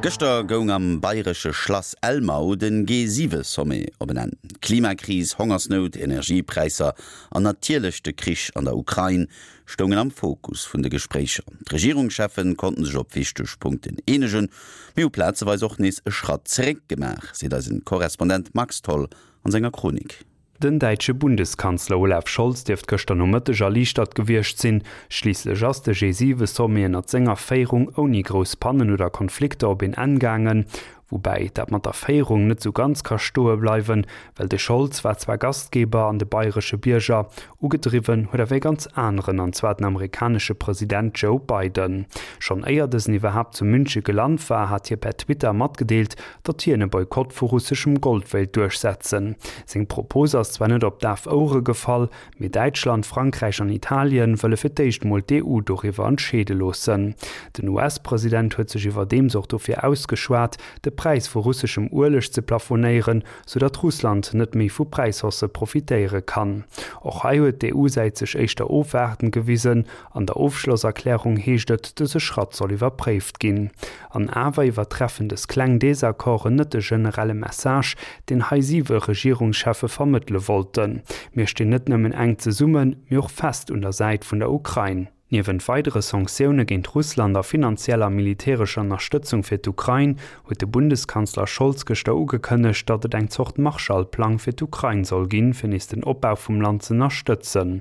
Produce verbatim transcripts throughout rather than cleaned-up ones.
Gëschter goung am bayresche Schlass Elmau den G siwe Sommet op en Enn. Klimakris, Hongersnout, Energiepräisser an natierlech de Krich an der Ukrain stoungen am Fokus vun de Gespréicher. D'Regierungscheffen konnten sech op wichteg Punkten eenegen, mee hu plazeweis och nees e Schratt zeréck gemaach, seet eise Korrespondent Max Tholl an senger Chronik. Den däitsche Bundeskanzler Olaf Scholz dierft gëschter Nomëtteg erliichtert gewiescht sinn. Schliisslech ass de G siwe Sommet ënner senger Féierung ouni grouss Pannen oder Konflikter op en Enn gaangen. Woubäi dat mat der Féierung net sou ganz ka stoe bleiwen, well de Scholz war zwar Gastgeber an de bayresche Bierger, ugedriwwen huet awer e ganz aneren, an zwar den amerikanesche President Joe Biden. Schonn éier dësen iwwerhaapt zu Münche gelant war, hat hie per Twitter matgedeelt, datt hien e Boykott vu russeschem Gold wéilt duerchsetzen. Seng Propos ass zwar net op daf Ouere gefall, mee Däitschland, Frankräich an Italien wëlle fir d'éischt mol d'E U doriwwer entscheede loossen. Den U S-President huet sech iwwerdeems och dofir ausgeschwat, de Präis vu russeschem Ueleg ze plafonéieren, soudatt Russland net méi vu Präishaussë profitéiere kann. Och hei huet d'E U-Säit sech éischter ofwaardend gewisen, an der Ofschlosserklärung heescht et, dëse Schratt soll iwwerpréift ginn. An awer iwwertreffen dës kleng Desaccorden net de generelle Message, deen hei siwe Regierungscheffe vermëttele wollten. Mir stinn net nëmmen enk zesummen, mee och fest un der Säit vun der Ukrain. Niewent weidere Sanktioune géint Russland a finanzieller militärescher Ënnerstëtzung fir d'Ukrain huet de Bundeskanzler Scholz gëschter ugekënnegt, datt et eng Zort Marshallplang fir d'Ukrain soll ginn, fir nees den Opbau vum Land ze ënnerstëtzen.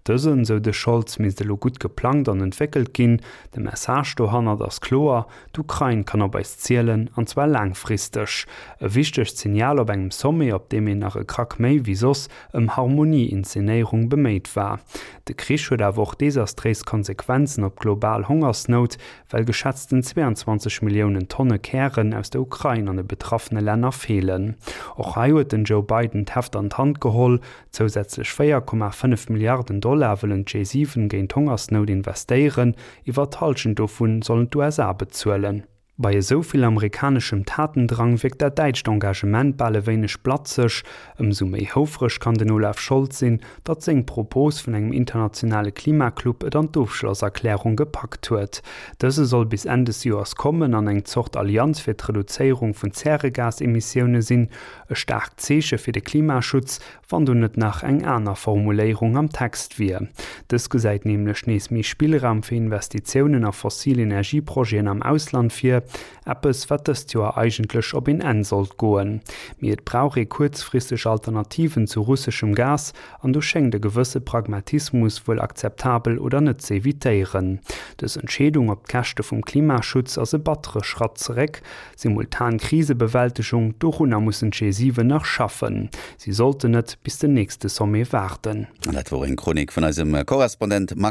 Dësen, sou de Scholz, misst elo gutt geplangt an entwéckelt ginn. De Message dohannert ass kloer, d'Ukrain kann op eis zielen, an zwar laangfristeg. E wichtegt Signal op engem Sommet, op deem een nach e Krack méi wéi soss ëm Harmonie-Inszenéierung beméit war. De Krich huet awer och desastréis Konsequenzen op global Hongersnout, well geschätzten zwéianzwanzeg Milliounen Tonne Kären aus der Ukrain an de betraffene Länner feelen. Och hei huet den Joe Biden d'Heft an d'Hand geholl, zousätzlech véier Komma fënnef Milliarden Dollar wëllen d'G siwen géint d'Hongersnout investéieren, iwwer d'Hallschent dovun sollen d'U S A bezuelen. Bei esou vill amerikaneschem Tatendrang wierkt dat däitscht Engagement bal e wéineg blatzeg. Ëmsou méi houfreg kann den Olaf Scholz sinn, datt seng Propos vun engem internationale Klimaclub et an d'Ofschlosserklärung gepackt huet. Dëse soll bis Enn des Joers kommen an eng Zort Allianz fir d'Reduzéierung vun Zäregasemissioune sinn, e staarkt Zeeche fir de Klimaschutz, wann do net nach eng aner Formuléierung am Text wier. Dës gesäit nämlech nees méi Spillraum fir Investitiounen a fossil Energieprojeten am Ausland vir, eppes wat dëst Joer eigentlech op en Enn sollt goen. Mee et brauch ee kuerzfristeg Alternativen zu russeschem Gas an do schéngt e gewësse Pragmatismus wuel akzeptabel oder net ze evitéieren. Dës Entscheedung op Käschte vum Klimaschutz ass e battere Schratt zeréck, simultan Krisebewältegung, dorunner mussen d'G siwen nach schaffen. Si sollten net bis den nächste Sommet waarden. An dat wor eng Chronik vun eisem Korrespondent Max